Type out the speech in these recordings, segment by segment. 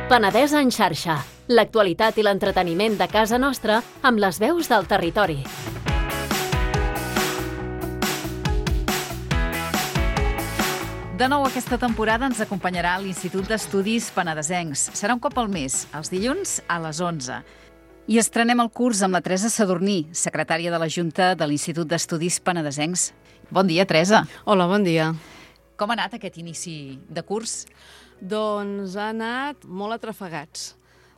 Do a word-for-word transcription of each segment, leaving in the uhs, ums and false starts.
Penedès en xarxa. L'actualitat i l'entreteniment de casa nostra amb les veus del territori. De nou aquesta temporada ens acompanyarà l'Institut d'Estudis Penedesencs. Serà un cop al mes, els dilluns a les onze. I estrenem el curs amb la Teresa Sadurní, secretària de la Junta de l'Institut d'Estudis Penedesencs. Bon dia, Teresa. Hola, bon dia. Com ha anat aquest inici de curs? Doncs ha anat molt atrafegats.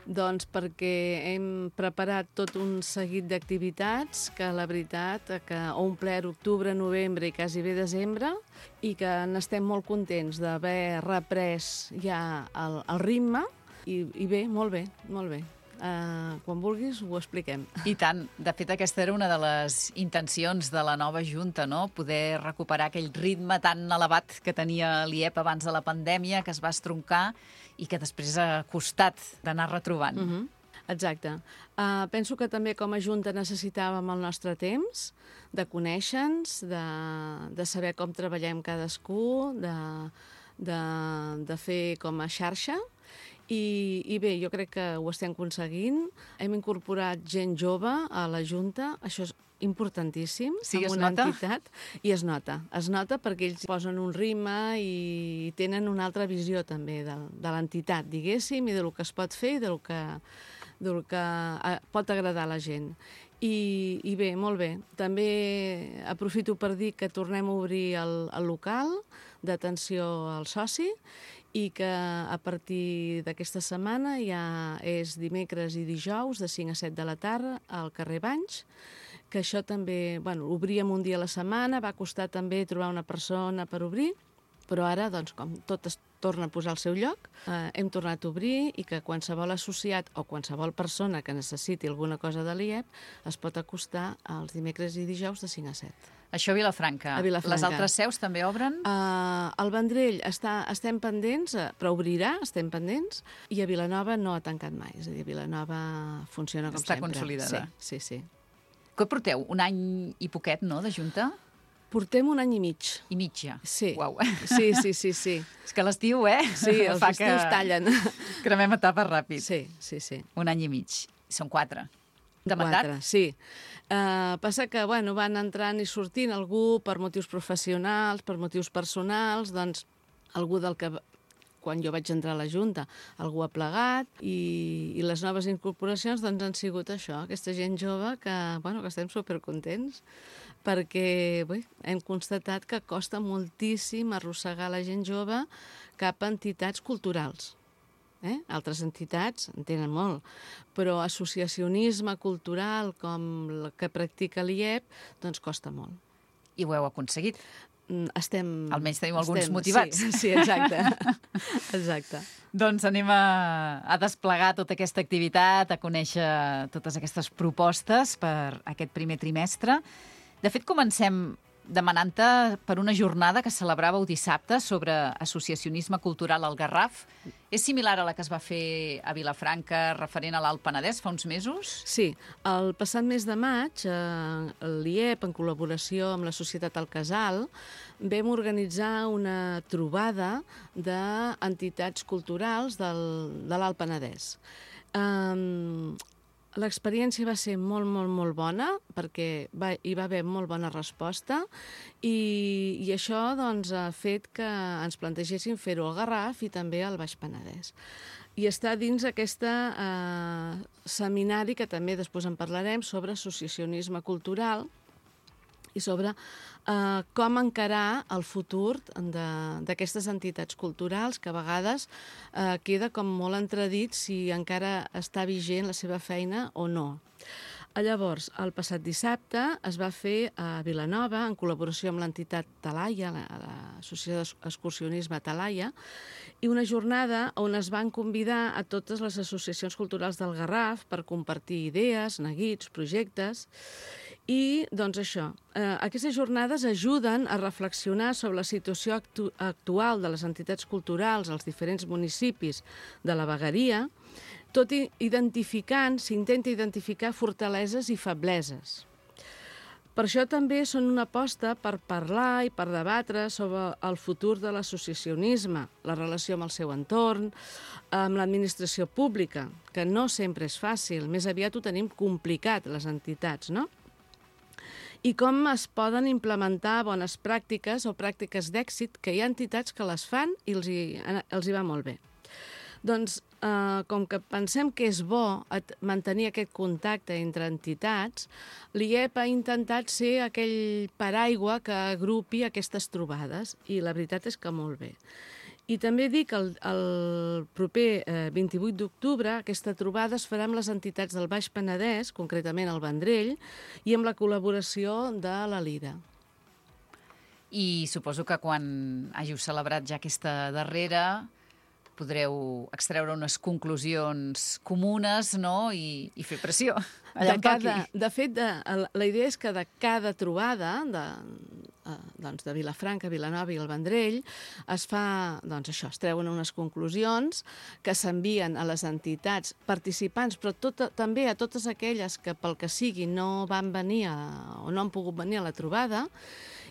Doncs perquè hem preparat tot un seguit d'activitats que la veritat que ha omplert octubre, novembre i quasi bé desembre i que n'estem molt contents d'haver reprès ja el, el ritme i, i bé, molt bé, molt bé. Uh, quan vulguis ho expliquem. I tant. De fet, aquesta era una de les intencions de la nova Junta, no? Poder recuperar aquell ritme tan elevat que tenia l'I E P abans de la pandèmia, que es va estroncar i que després ha costat d'anar retrobant. Uh-huh. Exacte. Uh, penso que també com a Junta necessitàvem el nostre temps de conèixer-nos, de, de saber com treballem cadascú, de, de, de fer com a xarxa. I, I bé, jo crec que ho estem aconseguint. Hem incorporat gent jove a la Junta, això és importantíssim, sí, en una nota? entitat, i es nota. Es nota perquè ells posen un ritme i tenen una altra visió també de, de l'entitat, diguéssim, i del que es pot fer i del que, del que pot agradar a la gent. I, I bé, molt bé. També aprofito per dir que tornem a obrir el, el local d'atenció al soci i que a partir d'aquesta setmana ja és dimecres i dijous de cinc a set de la tarda al carrer Banys, que això també, bueno, obríem un dia a la setmana, va costar també trobar una persona per obrir, però ara, doncs, com tot es torna a posar al seu lloc, eh, hem tornat a obrir i que qualsevol associat o qualsevol persona que necessiti alguna cosa de l'I E P es pot acostar els dimecres i dijous de cinc a set. Això a Vilafranca. A Vilafranca. Les altres seus també obren? Uh, al Vendrell està, estem pendents, però obrirà, estem pendents, i a Vilanova no ha tancat mai. És a dir, Vilanova funciona com està sempre. Està consolidada. Sí, sí, sí. Què porteu? Un any i poquet, no?, de Junta? Portem un any i mig. I mig, ja? Sí. Uau. Sí, sí, sí, sí. És que l'estiu, eh? Sí, els Fa estius que tallen. Cremem etapes ràpid. Sí, sí, sí. Un any i mig. Són quatre. De mandat? Quatre, sí. Uh, passa que, bueno, van entrant i sortint algú per motius professionals, per motius personals, doncs algú del que, quan jo vaig entrar a la Junta, algú ha plegat i, i les noves incorporacions doncs han sigut això, aquesta gent jove que, bueno, que estem supercontents perquè bé, hem constatat que costa moltíssim arrossegar la gent jove cap a entitats culturals. Eh? Altres entitats en tenen molt, però associacionisme cultural com el que practica l'I E P, doncs costa molt. I ho heu aconseguit? Estem... Almenys teniu alguns estem, motivats. Sí, sí, exacte. Exacte. Doncs anem a, a desplegar tota aquesta activitat, a conèixer totes aquestes propostes per aquest primer trimestre. De fet, comencem demanant-te per una jornada que celebràveu dissabte sobre associacionisme cultural al Garraf. És similar a la que es va fer a Vilafranca referent a l'Alt Penedès fa uns mesos? Sí. El passat mes de maig, eh, l'I E P, en col·laboració amb la Societat El Casal, vam organitzar una trobada d'entitats culturals del, de l'Alt Penedès. Um, L'experiència va ser molt, molt, molt bona perquè va, hi va haver molt bona resposta i, i això doncs, ha fet que ens plantegéssim fer-ho al Garraf i també al Baix Penedès. I està dins aquest eh, seminari, que també després en parlarem, sobre associacionisme cultural i sobre eh, com encarar el futur d'aquestes entitats culturals que a vegades eh, queda com molt entredit si encara està vigent la seva feina o no. Llavors, el passat dissabte es va fer a Vilanova, en col·laboració amb l'entitat Talaia, l'Associació d'Excursionisme Talaia, i una jornada on es van convidar a totes les associacions culturals del Garraf per compartir idees, neguits, projectes. I, doncs això, eh, aquestes jornades ajuden a reflexionar sobre la situació actu actual de les entitats culturals als diferents municipis de la vegueria, tot identificant, s'intenta identificar fortaleses i febleses. Per això també són una aposta per parlar i per debatre sobre el futur de l'associacionisme, la relació amb el seu entorn, amb l'administració pública, que no sempre és fàcil, més aviat ho tenim complicat, les entitats, no? I com es poden implementar bones pràctiques o pràctiques d'èxit, que hi ha entitats que les fan i els hi, els hi va molt bé. Doncs, eh, com que pensem que és bo mantenir aquest contacte entre entitats, l'I E P ha intentat ser aquell paraigua que agrupi aquestes trobades, i la veritat és que molt bé. I també dic que el, el proper eh, vint-i-vuit d'octubre aquesta trobada es farà amb les entitats del Baix Penedès, concretament el Vendrell, i amb la col·laboració de la Lira. I suposo que quan hàgiu celebrat ja aquesta darrera podreu extreure unes conclusions comunes, no?, i, i fer pressió. Allà de, cada, de fet, de, la idea és que de cada trobada de, doncs de Vilafranca, Vilanova i el Vendrell es fa, doncs això, es treuen unes conclusions que s'envien a les entitats participants, però tot, també a totes aquelles que pel que sigui no van venir a, o no han pogut venir a la trobada,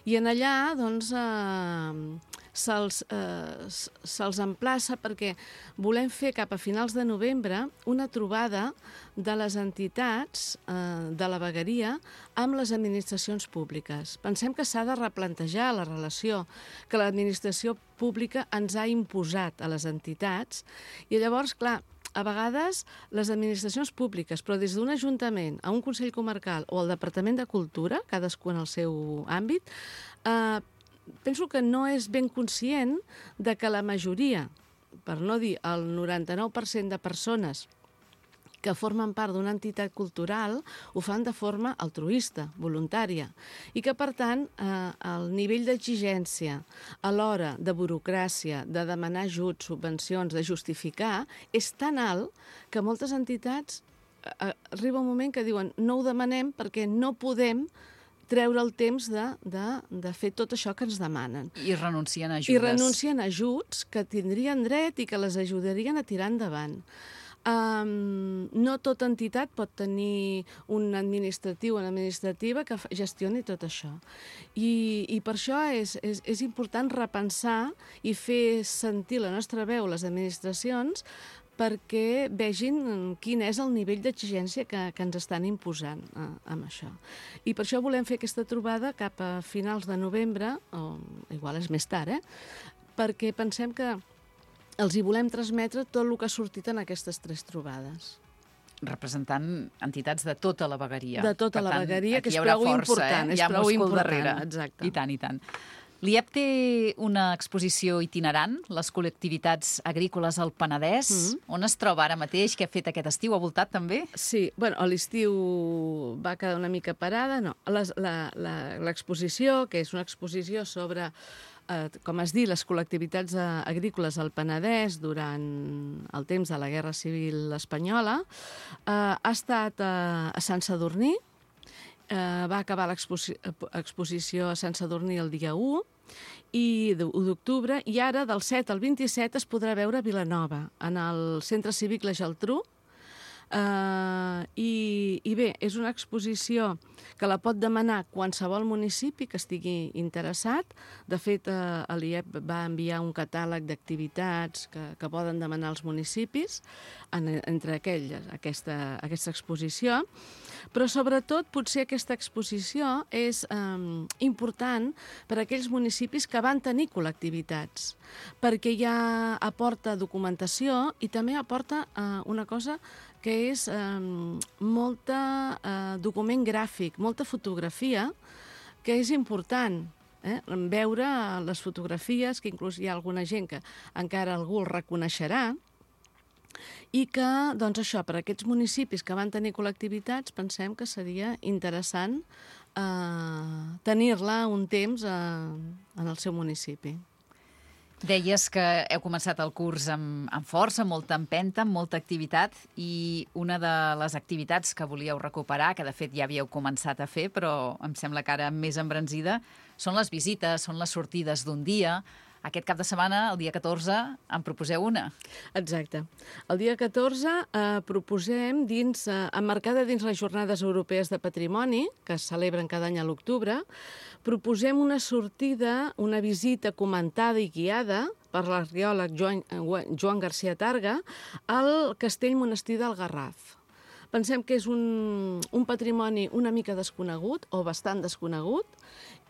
i en allà doncs, eh, se'ls eh, se'ls emplaça perquè volem fer cap a finals de novembre una trobada de les entitats eh, de la vegueria amb les administracions públiques. Pensem que s'ha de replantejar la relació que l'administració pública ens ha imposat a les entitats, i llavors, clar, a vegades les administracions públiques, però des d'un ajuntament a un Consell Comarcal o al Departament de Cultura, cadascú en el seu àmbit, eh, penso que no és ben conscient de que la majoria, per no dir el noranta-nou per cent de persones que formen part d'una entitat cultural ho fan de forma altruista, voluntària, i que, per tant, eh, el nivell d'exigència a l'hora de burocràcia, de demanar ajuts, subvencions, de justificar, és tan alt que moltes entitats eh, arriba un moment que diuen no ho demanem perquè no podem treure el temps de, de, de fer tot això que ens demanen. I renuncien a ajudes. I renuncien a ajuts que tindrien dret i que les ajudarien a tirar endavant. Um, no tota entitat pot tenir un administratiu o una administrativa que gestioni tot això. I, i per això és, és, és important repensar i fer sentir la nostra veu a les administracions perquè vegin quin és el nivell d'exigència que, que ens estan imposant eh, amb això. I per això volem fer aquesta trobada cap a finals de novembre, o igual és més tard, eh? Perquè pensem que els hi volem transmetre tot el que ha sortit en aquestes tres trobades. Representant entitats de tota la vegueria. De tota per la tant, vegueria, que és prou prou força, important. Eh? És Hi ha prou múscul important, darrere. exacte. I tant, i tant. L'I E P té una exposició itinerant, les col·lectivitats agrícoles al Penedès. Mm-hmm. On es troba ara mateix? Què ha fet aquest estiu? Ha voltat també? Sí, bueno, a l'estiu va quedar una mica parada, no. L'exposició, que és una exposició sobre, eh, com has dit, les col·lectivitats agrícoles al Penedès durant el temps de la Guerra Civil Espanyola, eh, ha estat eh, a Sant Sadurní. Uh, va acabar l'exposició a Sant Sadurní el dia u i u d'octubre, i ara del set al vint-i-set es podrà veure a Vilanova, en el Centre Cívic La Geltrú. Uh, i, I bé, és una exposició que la pot demanar qualsevol municipi que estigui interessat. De fet, uh, l'I E P va enviar un catàleg d'activitats que, que poden demanar els municipis en, entre aquelles, aquesta, aquesta exposició. Però sobretot potser aquesta exposició és um, important per a aquells municipis que van tenir col·lectivitats, perquè ja aporta documentació i també aporta uh, una cosa que és eh, molta eh, document gràfic, molta fotografia, que és important eh? veure les fotografies, que inclús hi ha alguna gent que encara algú el reconeixerà, i que, doncs això, per a aquests municipis que van tenir col·lectivitats, pensem que seria interessant eh, tenir-la un temps eh, en el seu municipi. Deies que heu començat el curs amb, amb força, amb molta empenta, amb molta activitat, i una de les activitats que volíeu recuperar, que de fet ja havíeu començat a fer, però em sembla que ara més embranzida, són les visites, són les sortides d'un dia aquest cap de setmana, el dia catorze, en proposeu una. Exacte. El dia catorze eh, proposem, dins, eh, emmarcada dins les Jornades Europees de Patrimoni, que es celebren cada any a l'octubre, proposem una sortida, una visita comentada i guiada per l'arqueòleg Joan, Joan García Targa al Castell Monestir del Garraf. Pensem que és un, un patrimoni una mica desconegut, o bastant desconegut,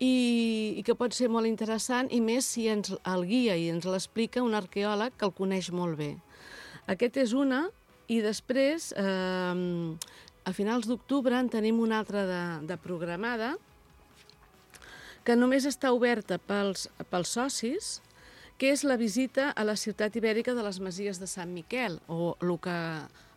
i, i que pot ser molt interessant, i més si ens el guia i ens l'explica un arqueòleg que el coneix molt bé. Aquest és una, i després, eh, a finals d'octubre, en tenim una altra de, de programada, que només està oberta pels, pels socis, que és la visita a la ciutat ibèrica de les Masies de Sant Miquel, o el que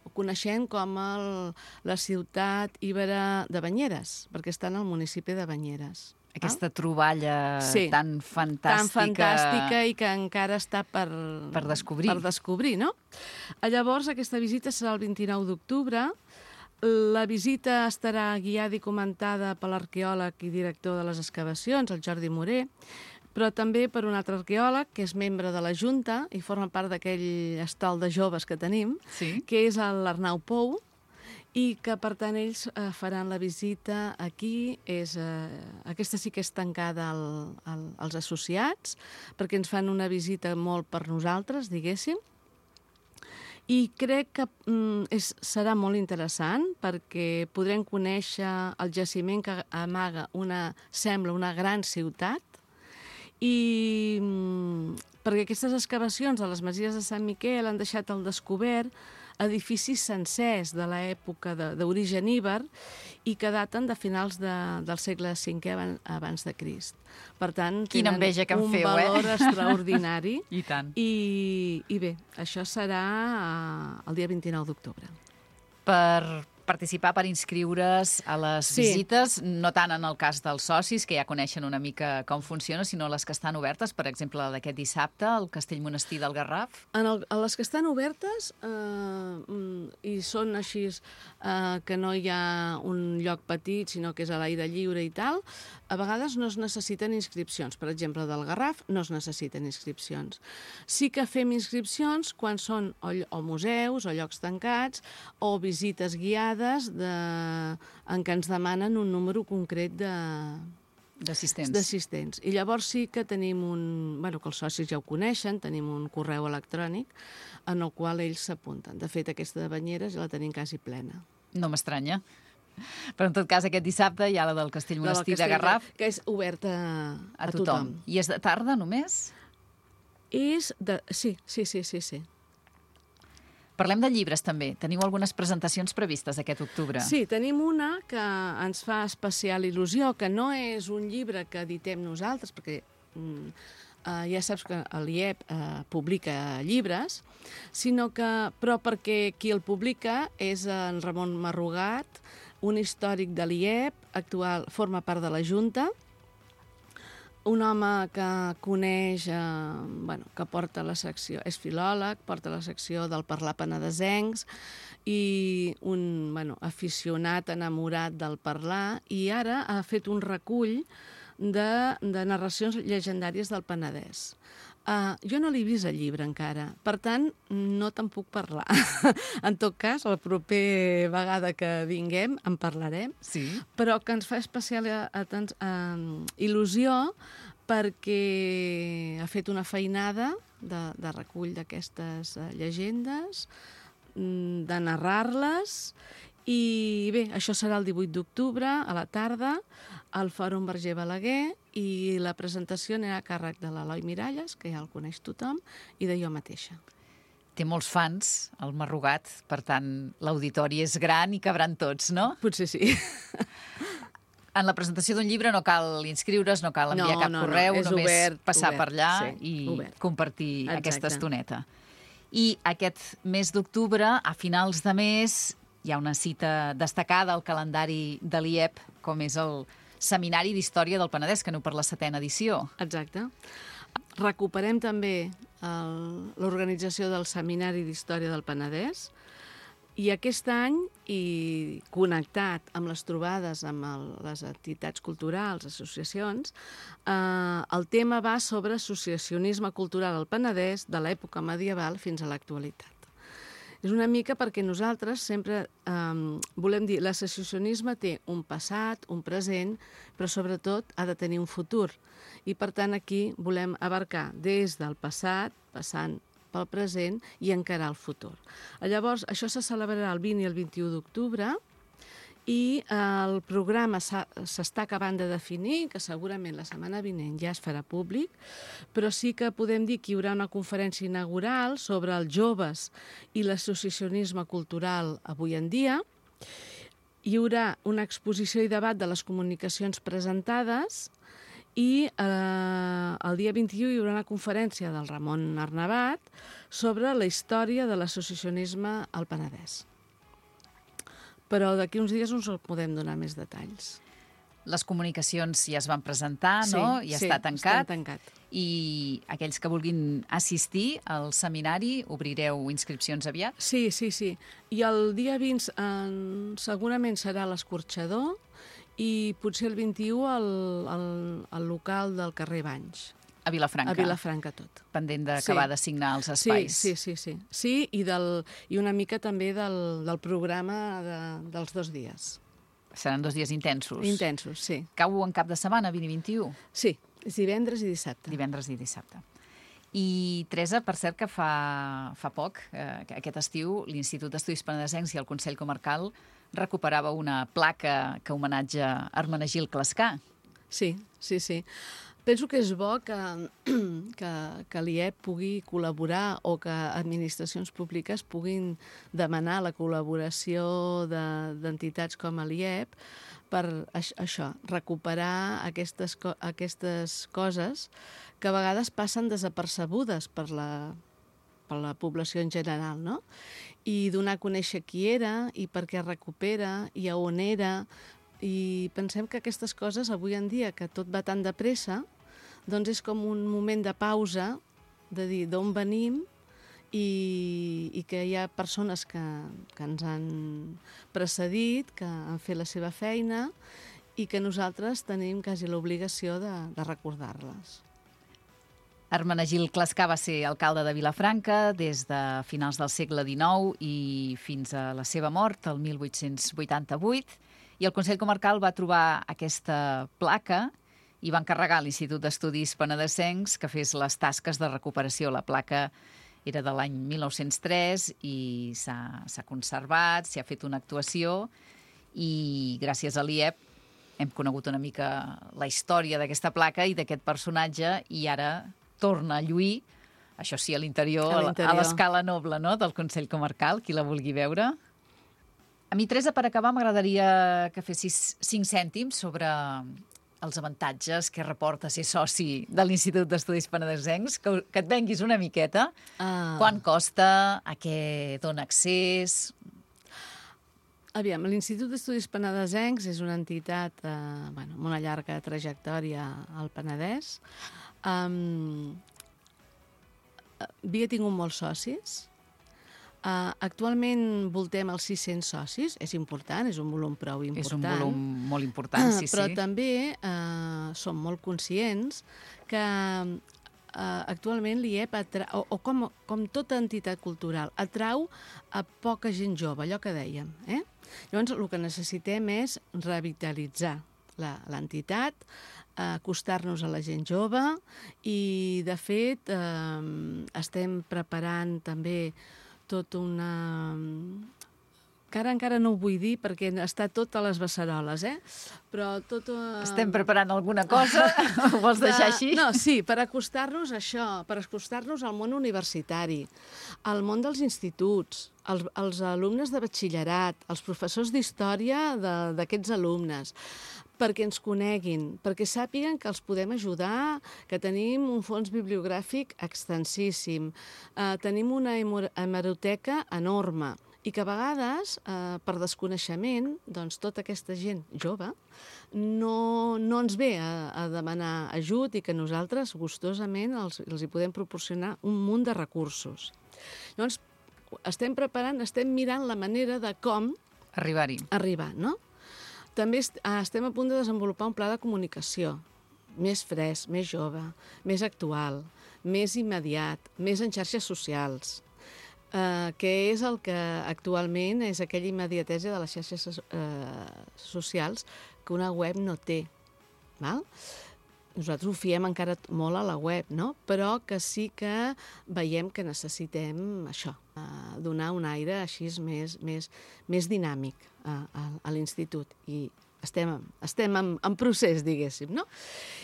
ho coneixem com el, la ciutat ibera de Banyeres, perquè està en el municipi de Banyeres. Aquesta troballa sí, tan fantàstica... Tan fantàstica i que encara està per, per descobrir. Per descobrir, no? Llavors, aquesta visita serà el vint-i-nou d'octubre. La visita estarà guiada i comentada per l'arqueòleg i director de les excavacions, el Jordi Moré, però també per un altre arqueòleg, que és membre de la Junta i forma part d'aquell estol de joves que tenim, sí, que és l'Arnau Pou, i que, per tant, ells eh, faran la visita aquí. És, eh, aquesta sí que és tancada al, al, als associats, perquè ens fan una visita molt per nosaltres, diguéssim. I crec que mm, és, serà molt interessant, perquè podrem conèixer el jaciment que amaga una, sembla una gran ciutat, i mm, perquè aquestes excavacions a les Masies de Sant Miquel han deixat al descobert edificis sencers de l'època d'origen íber i que daten de finals de, del segle cinquè abans de Crist. Per tant, quina enveja que em un feu, valor eh? extraordinari. I tant. I, I bé, això serà el dia vint-i-nou d'octubre. Per participar, per inscriure's a les sí. visites, no tant en el cas dels socis, que ja coneixen una mica com funciona, sinó les que estan obertes, per exemple, la d'aquest dissabte, al Castell Monestir del Garraf. En el, a les que estan obertes, eh, i són així, eh, que no hi ha un lloc petit, sinó que és a l'aire lliure i tal, a vegades no es necessiten inscripcions. Per exemple, del Garraf no es necessiten inscripcions. Sí que fem inscripcions quan són o, o museus, o llocs tancats, o visites guiades, De, en què ens demanen un número concret d'assistents. d'assistents. I llavors sí que tenim un... Bueno, que els socis ja ho coneixen, tenim un correu electrònic en el qual ells s'apunten. De fet, aquesta de Banyeres ja la tenim quasi plena. No m'estranya. Però en tot cas, aquest dissabte hi ha la del Castell Monestir de Garraf. Que és oberta a, a, a tothom. tothom. I és de tarda només? És de... Sí, sí, sí, sí, sí. Parlem de llibres, també. Teniu algunes presentacions previstes aquest octubre. Sí, tenim una que ens fa especial il·lusió, que no és un llibre que editem nosaltres, perquè mm, eh, ja saps que l'I E P eh, publica llibres, sinó que, però perquè qui el publica és en Ramon Marrugat, un històric de l'I E P, actual, forma part de la Junta, un home que coneix, eh, bueno, que porta la secció, és filòleg, porta la secció del parlar penedesencs i un bueno, aficionat, enamorat del parlar, i ara ha fet un recull de, de narracions llegendàries del Penedès. Uh, jo no l'he vist el llibre encara, per tant, no te'n puc parlar. En tot cas, la propera vegada que vinguem en parlarem, sí. Però que ens fa especial uh, il·lusió perquè ha fet una feinada de, de recull d'aquestes uh, llegendes, de narrar-les, i bé, això serà el divuit d'octubre, a la tarda, al Fòrum Verger Balaguer, i la presentació anirà a càrrec de l'Eloi Miralles, que ja el coneix tothom, i de jo mateixa. Té molts fans, el Marrugat, per tant, l'auditori és gran i cabran tots, no? Potser sí. En la presentació d'un llibre no cal inscriure's, no cal enviar no, cap no, correu, no, només obert, passar obert, per allà sí, i obert. Compartir Exacte. Aquesta estoneta. I aquest mes d'octubre, a finals de mes, hi ha una cita destacada al calendari de l'I E P, com és el Seminari d'Història del Penedès, que aneu per la setena edició. Exacte. Recuperem també l'organització del Seminari d'Història del Penedès. I aquest any, i connectat amb les trobades amb el, les entitats culturals, associacions, eh, el tema va sobre associacionisme cultural al Penedès de l'època medieval fins a l'actualitat. És una mica perquè nosaltres sempre eh, volem dir l'associacionisme té un passat, un present, però sobretot ha de tenir un futur. I per tant aquí volem abarcar des del passat, passant pel present i encarar el futur. Llavors, això se celebrarà el vint i el vint-i-u d'octubre i el programa s'està acabant de definir, que segurament la setmana vinent ja es farà públic, però sí que podem dir que hi haurà una conferència inaugural sobre els joves i l'associacionisme cultural avui en dia. Hi haurà una exposició i debat de les comunicacions presentades i eh, el dia vint-i-u hi haurà una conferència del Ramon Arnabat sobre la història de l'associacionisme al Penedès. Però d'aquí uns dies us podem donar més detalls. Les comunicacions ja es van presentar, sí, no? Ja sí, està tancat. Està tancat. I aquells que vulguin assistir al seminari, obrireu inscripcions aviat? Sí, sí, sí. I el dia vint eh, segurament serà l'Escorxador i potser el vint-i-u al, al, al local del carrer Banys. A Vilafranca. A Vilafranca tot. Pendent d'acabar sí. de signar els espais. Sí, sí, sí. Sí, sí i, del, i una mica també del, del programa de, dels dos dies. Seran dos dies intensos. Intensos, sí. Cau en cap de setmana, vint i vint-i-u? Sí, és divendres i dissabte. Divendres i dissabte. I, Teresa, per cert que fa, fa poc, eh, aquest estiu, l'Institut d'Estudis Penedesencs i el Consell Comarcal recuperava una placa que homenatja Hermenegildo Clascar. Sí, sí, sí. Penso que és bo que, que, que l'I E P pugui col·laborar o que administracions públiques puguin demanar la col·laboració d'entitats com l'I E P per això, recuperar aquestes, aquestes coses que a vegades passen desapercebudes per la, per la població en general, no? I donar a conèixer qui era i per què recupera i a on era. I pensem que aquestes coses avui en dia, que tot va tan de pressa, doncs és com un moment de pausa, de dir d'on venim i, i que hi ha persones que, que ens han precedit, que han fet la seva feina i que nosaltres tenim quasi l'obligació de, de recordar-les. Hermenegildo Clascar va ser alcalde de Vilafranca des de finals del segle dinou i fins a la seva mort, el mil vuit-cents vuitanta-vuit, i el Consell Comarcal va trobar aquesta placa i va encarregar a l'Institut d'Estudis Penedesencs que fes les tasques de recuperació. La placa era de l'any mil nou-cents tres i s'ha conservat, s'hi ha fet una actuació i gràcies a l'I E P hem conegut una mica la història d'aquesta placa i d'aquest personatge i ara torna a lluir, això sí, a l'interior, a l'escala noble, no?, del Consell Comarcal, qui la vulgui veure. A mi, Teresa, per acabar, m'agradaria que fessis cinc cèntims sobre els avantatges que reporta ser soci de l'Institut d'Estudis Penedesencs, que, que et venguis una miqueta. Ah. Quant costa, a què dona accés? Aviam, l'Institut d'Estudis Penedesencs és una entitat eh, bueno, amb una llarga trajectòria al Penedès. Um, havia tingut molts socis. Uh, actualment voltem els sis-cents socis. És important, és un volum prou important. És un volum molt important, sí, Però sí. també uh, som molt conscients que uh, actualment l'I E P, atra... o, o com, com tota entitat cultural, atrau a poca gent jove, allò que dèiem. Eh? Llavors, el que necessitem és revitalitzar l'entitat, acostar-nos a la gent jove i, de fet, eh, estem preparant també tot una... que ara encara no ho vull dir perquè està tot a les beceroles, eh? Però tot... Uh... Estem preparant alguna cosa? Ho vols deixar així? No, sí, per acostar-nos a això, per acostar-nos al món universitari, al món dels instituts, als, als alumnes de batxillerat, als professors d'història d'aquests alumnes, perquè ens coneguin, perquè sàpiguen que els podem ajudar, que tenim un fons bibliogràfic extensíssim, eh, tenim una hemeroteca enorme, i que a vegades, eh, per desconeixement, doncs tota aquesta gent jove no, no ens ve a, a demanar ajut i que nosaltres gustosament els, els hi podem proporcionar un munt de recursos. Llavors, estem preparant, estem mirant la manera de com Arribar-hi. arribar, no? També est estem a punt de desenvolupar un pla de comunicació més fresc, més jove, més actual, més immediat, més en xarxes socials, eh, que és el que actualment és aquella immediatesa de les xarxes eh, socials que una web no té, val? Nosaltres ho fiem encara molt a la web, no? Però que sí que veiem que necessitem això, eh, donar un aire així més, més, més dinàmic a, a, a l'institut. I estem, estem en, en procés, diguéssim, no?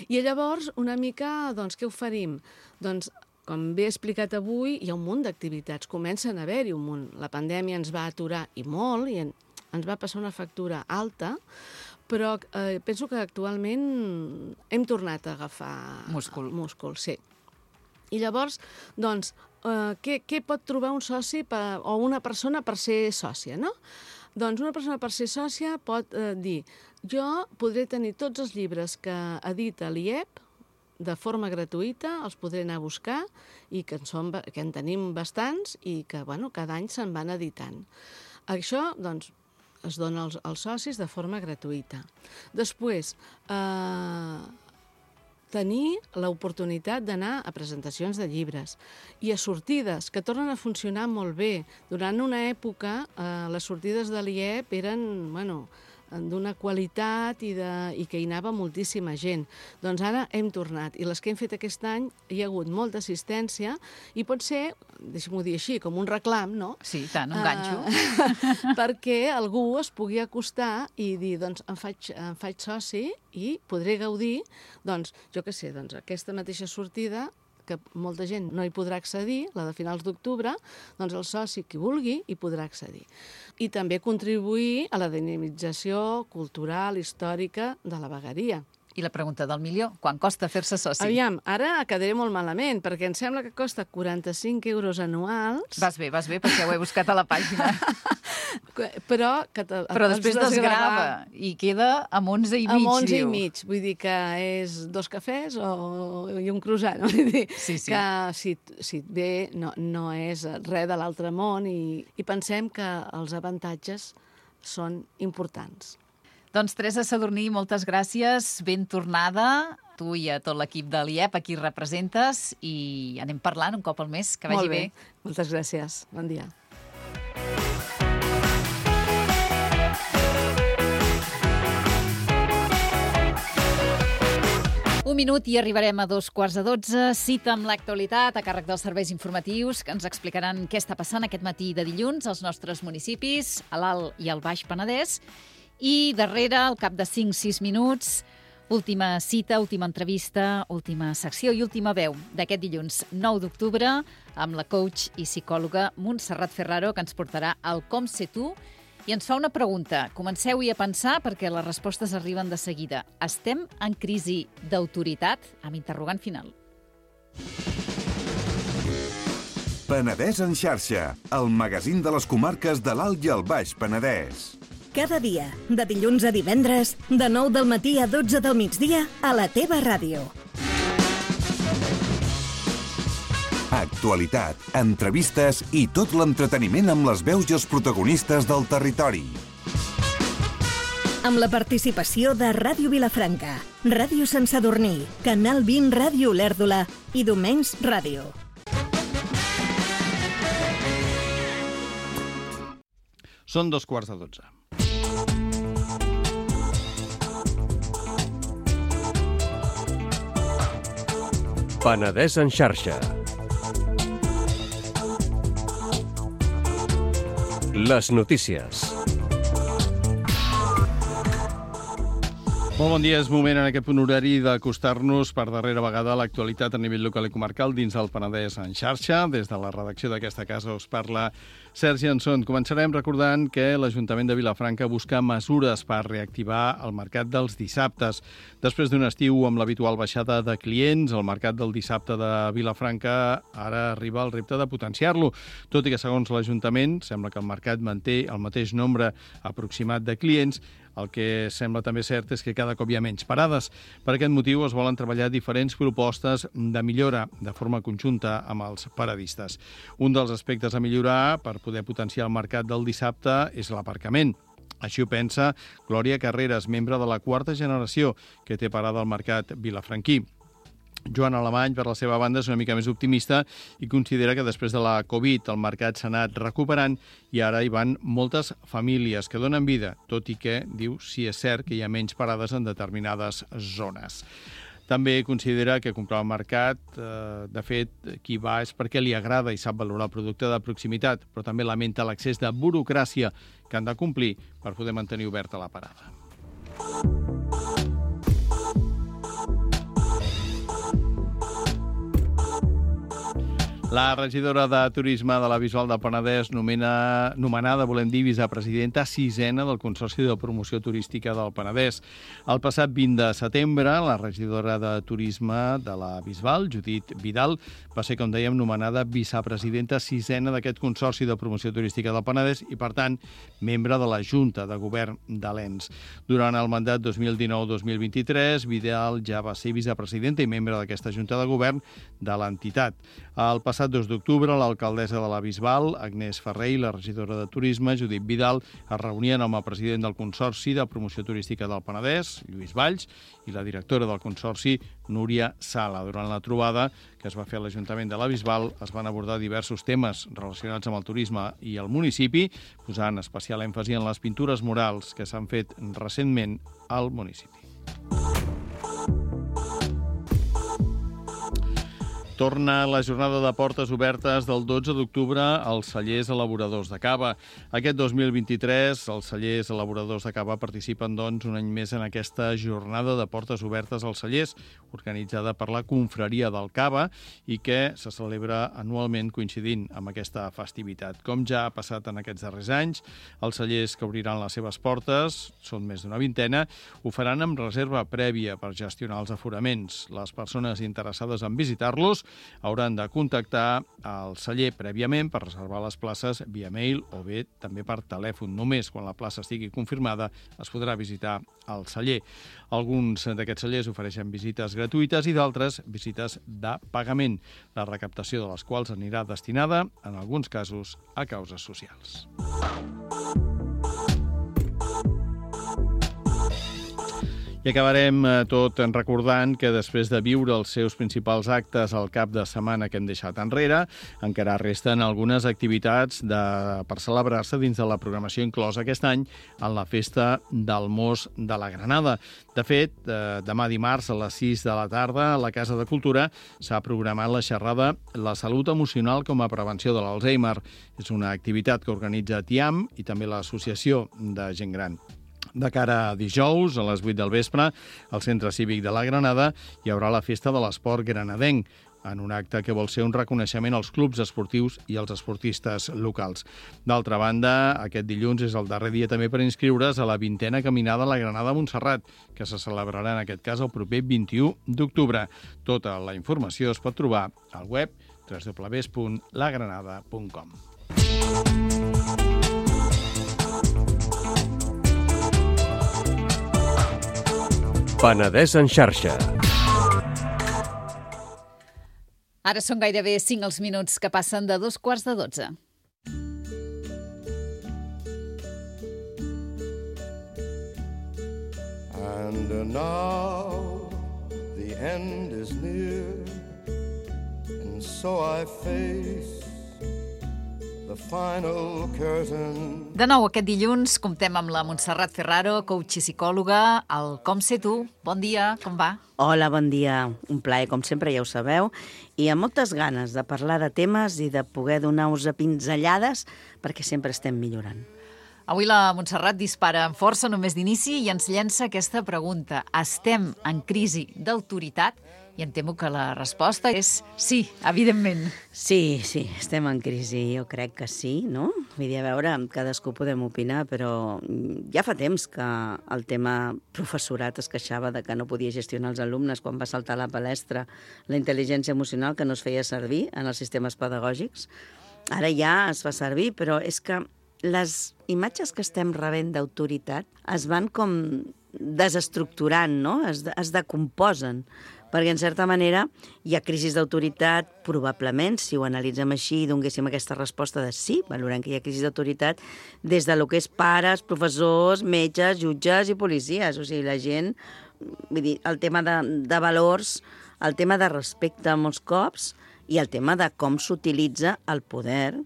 I llavors, una mica, doncs, què oferim? Doncs, com bé he explicat avui, hi ha un munt d'activitats. Comencen a haver-hi un munt. La pandèmia ens va aturar, i molt, i en, ens va passar una factura alta, però eh, penso que actualment hem tornat a agafar Múscul. múscul, sí. I llavors, doncs, eh, què, què pot trobar un soci per, o una persona per ser sòcia, no? Doncs una persona per ser sòcia pot eh, dir jo podré tenir tots els llibres que edita l'I E P de forma gratuïta, els podré anar a buscar i que en, som, que en tenim bastants i que, bueno, cada any se'n van editant. Això, doncs, es dona als, als socis de forma gratuïta. Després, eh, tenir l'oportunitat d'anar a presentacions de llibres i a sortides, que tornen a funcionar molt bé. Durant una època, eh, les sortides de l'I E P eren, bueno, d'una qualitat i, de, i que hi anava moltíssima gent. Doncs ara hem tornat. I les que hem fet aquest any hi ha hagut molta assistència i pot ser, deixa'm-ho dir així, com un reclam, no? Sí, tant, un ganxo. Uh, perquè algú es pugui acostar i dir, doncs, em faig, em faig soci i podré gaudir, doncs, jo què sé, doncs, aquesta mateixa sortida que molta gent no hi podrà accedir, la de finals d'octubre, doncs el soci qui vulgui hi podrà accedir. I també contribuir a la dinamització cultural, històrica de la vegueria. I la pregunta del milió, quan costa fer-se soci? Aviam, ara quedaré molt malament, perquè em sembla que costa quaranta-cinc euros anuals. Vas bé, vas bé, perquè ho he buscat a la pàgina. Però, que te, Però després desgrava i queda amb onze i mig, amb onze diu. i mig, vull dir que és dos cafès o, i un croissant. Vull dir sí, sí. que si, si et ve no, no és res de l'altre món i, i pensem que els avantatges són importants. Doncs Teresa Sadurní, moltes gràcies, ben tornada, tu i a tot l'equip de l'I E P, a qui representes, i anem parlant un cop al mes, que vagi bé. Molt bé, moltes gràcies, bon dia. Un minut i arribarem a dos quarts de dotze. Cita amb l'actualitat a càrrec dels serveis informatius que ens explicaran què està passant aquest matí de dilluns als nostres municipis, a l'Alt i al Baix Penedès. I darrere, al cap de cinc sis minuts, última cita, última entrevista, última secció i última veu d'aquest dilluns nou d'octubre amb la coach i psicòloga Montserrat Ferraro, que ens portarà al Com sé tu i ens fa una pregunta. Comenceu-hi a pensar perquè les respostes arriben de seguida. Estem en crisi d'autoritat? Amb interrogant final. Penedès en xarxa, el magazín de les comarques de l'Alt i el Baix Penedès. Cada dia, de dilluns a divendres, de nou del matí a dotze del migdia, a la teva ràdio. Actualitat, entrevistes i tot l'entreteniment amb les veus i els protagonistes del territori. Amb la participació de Ràdio Vilafranca, Ràdio Sant Sadurní, Canal vint Ràdio Olèrdola i Domenys Ràdio. Són dos quarts de dotze. Penedès en xarxa. Les notícies. Molt bon dia, és moment en aquest punt horari d'acostar-nos per darrera vegada a l'actualitat a nivell local i comarcal dins del Penedès en xarxa. Des de la redacció d'aquesta casa us parla Sergi Anson. Començarem recordant que l'Ajuntament de Vilafranca busca mesures per reactivar el mercat dels dissabtes. Després d'un estiu amb l'habitual baixada de clients, el mercat del dissabte de Vilafranca ara arriba el repte de potenciar-lo. Tot i que, segons l'Ajuntament, sembla que el mercat manté el mateix nombre aproximat de clients, El que sembla també cert és que cada cop hi ha menys parades. Per aquest motiu es volen treballar diferents propostes de millora de forma conjunta amb els paradistes. Un dels aspectes a millorar per poder potenciar el mercat del dissabte és l'aparcament. Així ho pensa Glòria Carreras, membre de la quarta generació que té parada al mercat vilafranquí. Joan Alemany, per la seva banda, és una mica més optimista i considera que després de la Covid el mercat s'ha anat recuperant i ara hi van moltes famílies que donen vida, tot i que, diu, sí és cert que hi ha menys parades en determinades zones. També considera que comprar al mercat, eh, de fet, qui va és perquè li agrada i sap valorar el producte de proximitat, però també lamenta l'accés de burocràcia que han de complir per poder mantenir oberta la parada. La regidora de Turisme de la Bisbal del Penedès, nomena, nomenada, volem dir, vicepresidenta sisena del Consorci de Promoció Turística del Penedès. El passat vint de setembre, la regidora de Turisme de la Bisbal, Judit Vidal, va ser, com dèiem, nomenada vicepresidenta sisena d'aquest Consorci de Promoció Turística del Penedès i, per tant, membre de la Junta de Govern de l'E N S. Durant el mandat dos mil dinou dos mil vint-i-tres, Vidal ja va ser vicepresidenta i membre d'aquesta Junta de Govern de l'entitat. El passat dos d'octubre, l'alcaldessa de la Bisbal, Agnès Ferrer, i la regidora de Turisme, Judit Vidal, es reunien amb el president del Consorci de Promoció Turística del Penedès, Lluís Valls, i la directora del Consorci, Núria Sala. Durant la trobada que es va fer a l'Ajuntament de la Bisbal, es van abordar diversos temes relacionats amb el turisme i el municipi, posant especial èmfasi en les pintures murals que s'han fet recentment al municipi. Torna la jornada de portes obertes del dotze d'octubre als cellers elaboradors de cava. Aquest dos mil vint-i-tres, els cellers elaboradors de cava participen, doncs, un any més en aquesta jornada de portes obertes als cellers, organitzada per la Confraria del Cava i que se celebra anualment coincidint amb aquesta festivitat. Com ja ha passat en aquests darrers anys, els cellers que obriran les seves portes, són més d'una vintena, ho faran amb reserva prèvia per gestionar els aforaments. Les persones interessades en visitar-los hauran de contactar el celler prèviament per reservar les places via mail o bé també per telèfon. Només quan la plaça estigui confirmada es podrà visitar el celler. Alguns d'aquests cellers ofereixen visites gratuïtes i d'altres visites de pagament, la recaptació de les quals anirà destinada, en alguns casos, a causes socials. I acabarem tot recordant que després de viure els seus principals actes al cap de setmana que hem deixat enrere, encara resten algunes activitats de, per celebrar-se dins de la programació inclosa aquest any en la Festa del Mos de la Granada. De fet, demà dimarts a les sis de la tarda a la Casa de Cultura s'ha programat la xerrada La salut emocional com a prevenció de l'Alzheimer. És una activitat que organitza TIAM i també l'Associació de Gent Gran. De cara a dijous, a les vuit del vespre, al Centre Cívic de la Granada hi haurà la Festa de l'Esport Granadenc, en un acte que vol ser un reconeixement als clubs esportius i als esportistes locals. D'altra banda, aquest dilluns és el darrer dia també per inscriure's a la vintena caminada a la Granada Montserrat, que se celebrarà en aquest cas el proper vint-i-u d'octubre. Tota la informació es pot trobar al web w w w punt la granada punt com. Penedès en xarxa. Ara són gairebé cinc els minuts que passen de dos quarts de dotze. And now the end is near, and so I face the final curtain. De nou, aquest dilluns comptem amb la Montserrat Ferraro, coach i psicòloga, al Com sé tu. Bon dia, com va? Hola, bon dia. Un plaer, com sempre, ja ho sabeu. I amb moltes ganes de parlar de temes i de poder donar-vos pinzellades perquè sempre estem millorant. Avui la Montserrat dispara amb força només d'inici i ens llença aquesta pregunta. Estem en crisi d'autoritat? I em temo que la resposta és sí, evidentment. Sí, sí, estem en crisi, jo crec que sí, no? Vull dir, a veure, cadascú podem opinar, però ja fa temps que el tema professorat es queixava de que no podia gestionar els alumnes quan va saltar a la palestra la intel·ligència emocional que no es feia servir en els sistemes pedagògics. Ara ja es fa servir, però és que les imatges que estem rebent d'autoritat es van com desestructurant, no? Es, es decomposen, perquè en certa manera hi ha crisis d'autoritat, probablement, si ho analitzem així i donéssim aquesta resposta de sí, valorem que hi ha crisi d'autoritat des de lo que és pares, professors, metges, jutges i policies. O sigui, la gent, vull dir, el tema de, de valors, el tema de respecte molts cops i el tema de com s'utilitza el poder,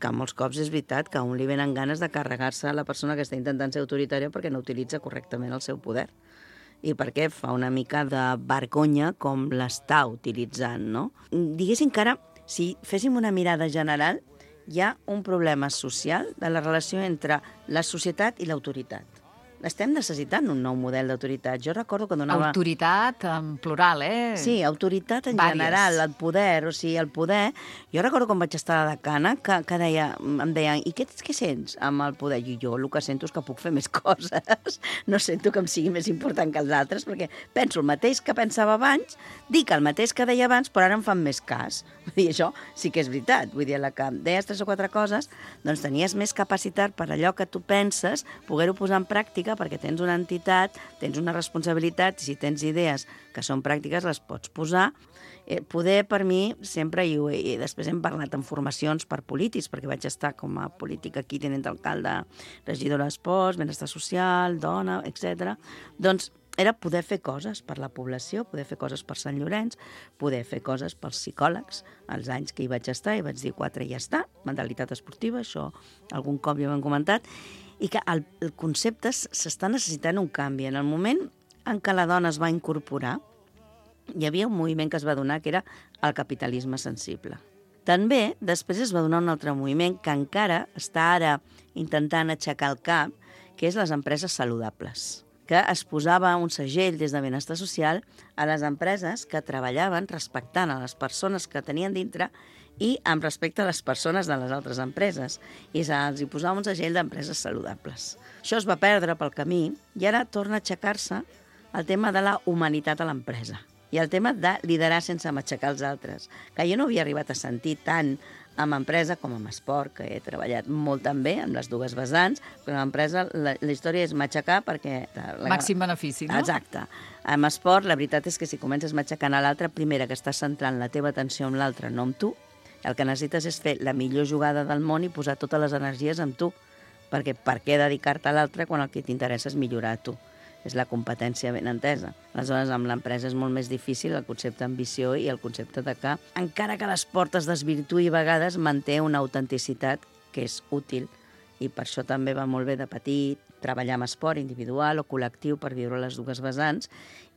que molts cops és veritat que a un li venen ganes de carregar-se a la persona que està intentant ser autoritària perquè no utilitza correctament el seu poder i perquè fa una mica de vergonya com l'està utilitzant, no? Diguéssim que ara, si féssim una mirada general, hi ha un problema social de la relació entre la societat i l'autoritat. Estem necessitant un nou model d'autoritat. Jo recordo que donava... Autoritat en plural, eh? Sí, autoritat en Vàries. general, el poder, o sigui, el poder... Jo recordo quan vaig estar a la decana que, que deia, em deien, i què, què sents amb el poder? I jo el que sento és que puc fer més coses. No sento que em sigui més important que els altres, perquè penso el mateix que pensava abans, dic el mateix que deia abans, però ara em fan més cas. Vull dir, això sí que és veritat. Vull dir, la que deies tres o quatre coses, doncs tenies més capacitat per allò que tu penses, poder-ho posar en pràctica, perquè tens una entitat, tens una responsabilitat, i si tens idees que són pràctiques, les pots posar. Eh, poder, per mi, sempre, i, i després hem parlat en formacions per polítics, perquè vaig estar com a política aquí, tenint alcalde, regidora d'esports, benestar social, dona, etcètera. Doncs era poder fer coses per la població, poder fer coses per Sant Llorenç, poder fer coses pels psicòlegs. Els anys que hi vaig estar, i vaig dir quatre i ja està, mentalitat esportiva, això algun cop ja ho hem comentat, i que el, el concepte s'està necessitant un canvi. En el moment en què la dona es va incorporar, hi havia un moviment que es va donar que era el capitalisme sensible. També després es va donar un altre moviment que encara està ara intentant aixecar el cap, que és les empreses saludables, que es posava un segell des de benestar social a les empreses que treballaven respectant a les persones que tenien dintre i amb respecte a les persones de les altres empreses. I se'ls hi posava un segell d'empreses saludables. Això es va perdre pel camí i ara torna a aixecar-se el tema de la humanitat a l'empresa i el tema de liderar sense matxacar els altres, que jo no havia arribat a sentir tant amb empresa com amb esport, que he treballat molt també amb les dues vessants, però amb empresa la, la història és matxacar perquè... La... Màxim benefici, no? Exacte. Amb esport, la veritat és que si comences matxacant a l'altre, primera, que estàs centrant la teva atenció en l'altre, no amb tu, el que necessites és fer la millor jugada del món i posar totes les energies en tu, perquè per què dedicar-te a l'altre quan el que t'interessa és millorar a tu? És la competència ben entesa. Aleshores, amb l'empresa és molt més difícil el concepte d'ambició i el concepte de que, encara que l'esport es desvirtuï a vegades, manté una autenticitat que és útil. I per això també va molt bé de petit treballar amb esport individual o col·lectiu per viure les dues vessants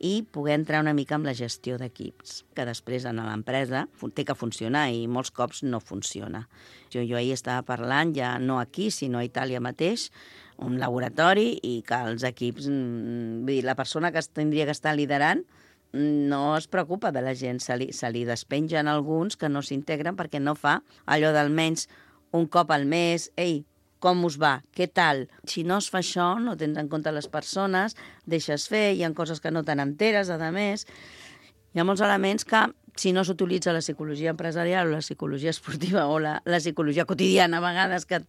i poder entrar una mica amb la gestió d'equips, que després en l'empresa té que funcionar i molts cops no funciona. Jo, jo ahir estava parlant, ja no aquí, sinó a Itàlia mateix, un laboratori i que els equips, vull dir, la persona que tindria que estar liderant no es preocupa de la gent, se li, se li despengen alguns que no s'integren perquè no fa allò d'almenys un cop al mes, ei, com us va, què tal? Si no es fa això, no tens en compte les persones, deixes fer, hi ha coses que no te n'enteres, a més. Hi ha molts elements que, si no s'utilitza la psicologia empresarial o la psicologia esportiva o la, la psicologia quotidiana, a vegades, que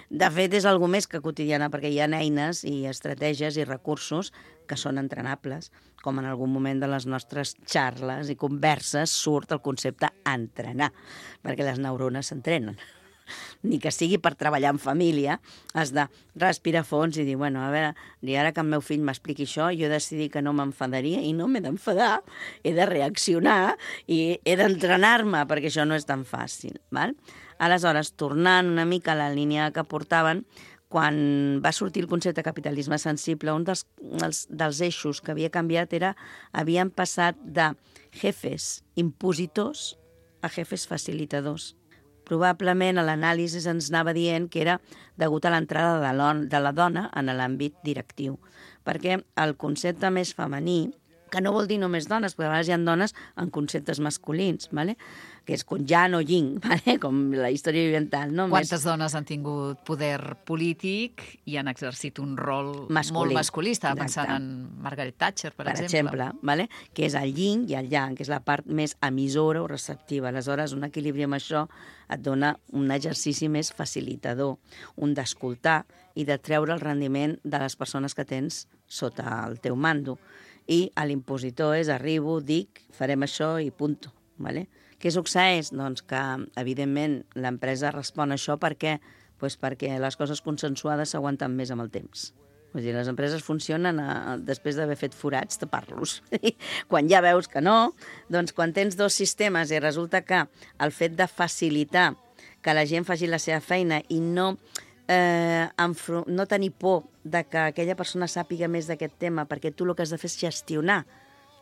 de fet és alguna més que quotidiana, perquè hi ha eines i estratègies i recursos que són entrenables, com en algun moment de les nostres xarles i converses surt el concepte entrenar, perquè les neurones s'entrenen. Ni que sigui per treballar en família, has de respirar fons i dir, bueno, a veure, i ara que el meu fill m'expliqui això, jo he decidit que no m'enfadaria i no m'he d'enfadar, he de reaccionar i he d'entrenar-me, perquè això no és tan fàcil. Val? Aleshores, tornant una mica a la línia que portaven, quan va sortir el concepte de capitalisme sensible, un dels, dels, dels eixos que havia canviat era, havien passat de jefes impositors a jefes facilitadors. Probablement l'anàlisi ens anava dient que era degut a l'entrada de, de la dona en l'àmbit directiu, perquè el concepte més femení que no vol dir només dones, perquè a vegades hi ha dones en conceptes masculins, ¿vale? Que és con yang o yin, ¿vale? Com la història oriental. No? Quantes Més... dones han tingut poder polític i han exercit un rol masculí. molt masculí? Estava pensant en Margaret Thatcher, per, per exemple. exemple, ¿vale? Que és el yin i el yang, que és la part més emissora o receptiva. Aleshores, un equilibri amb això et dona un exercici més facilitador, un d'escoltar i de treure el rendiment de les persones que tens sota el teu mando. I l'impositor és arribo, dic, farem això i punto, ¿vale? Què succeeix? Doncs que, evidentment, l'empresa respon a això perquè, doncs perquè les coses consensuades s'aguanten més amb el temps. Vull dir, les empreses funcionen a, després d'haver fet forats, tapar-los. Quan ja veus que no, doncs quan tens dos sistemes i resulta que el fet de facilitar que la gent faci la seva feina i no, eh, no tenir por de que aquella persona sàpiga més d'aquest tema, perquè tu el que has de fer és gestionar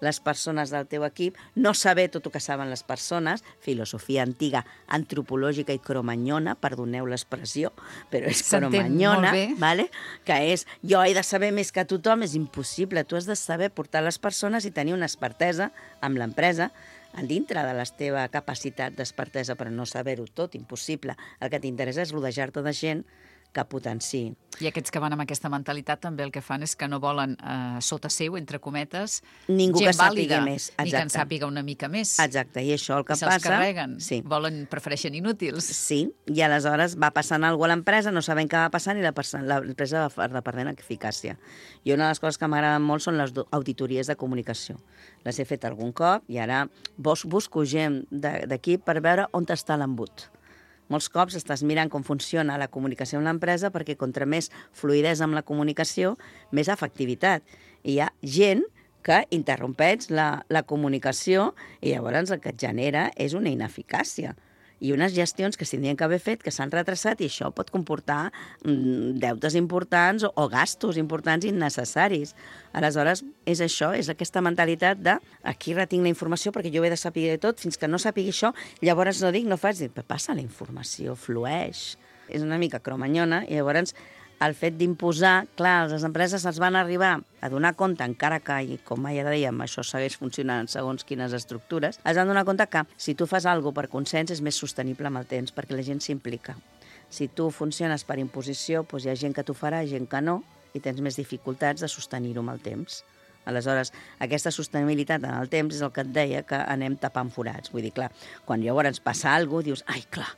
les persones del teu equip, no saber tot el que saben les persones, filosofia antiga, antropològica i cromanyona, perdoneu l'expressió, però és cromanyona, vale? Que és jo he de saber més que tothom, és impossible, tu has de saber portar les persones i tenir una expertesa amb l'empresa a dintre de la teva capacitat d'expertesa, però no saber-ho tot, impossible. El que t'interessa és rodejar-te de gent que potenciï. I aquests que van amb aquesta mentalitat també el que fan és que no volen eh, sota seu, entre cometes, ningú gent que sàpiga vàlida, més. Ni que en sàpiga una mica més. Exacte, i això el que I passa... se'ls carreguen, sí. volen, prefereixen inútils. Sí, i aleshores va passant alguna cosa a l'empresa, no sabem què va passant i l'empresa va perdent eficàcia. I una de les coses que m'agraden molt són les auditories de comunicació. Les he fet algun cop i ara busco gent d'aquí per veure on està l'embut. Molts cops estàs mirant com funciona la comunicació amb l'empresa perquè contra més fluïdesa amb la comunicació, més efectivitat. I hi ha gent que interrompeix la, la comunicació i llavors el que et genera és una ineficàcia. I unes gestions que s'haurien d'haver fet, que s'han retrasat, i això pot comportar mm, deutes importants o, o gastos importants innecessaris. Aleshores, és això, és aquesta mentalitat de aquí retinc la informació perquè jo ho he de saber tot, fins que no sàpigui això, llavors no dic, no faig, dic, passa la informació, flueix. És una mica cromanyona, i llavors el fet d'imposar, clar, les empreses es van arribar a donar compte, encara que, i com ja dèiem, això segueix funcionant segons quines estructures, es van donar compte que si tu fas alguna cosa per consens és més sostenible amb el temps, perquè la gent s'implica. Si tu funciones per imposició, doncs hi ha gent que t'ho farà, gent que no, i tens més dificultats de sostenir-ho amb el temps. Aleshores, aquesta sostenibilitat en el temps és el que et deia que anem tapant forats. Vull dir, clar, quan llavors passa alguna cosa, dius, ai, clar,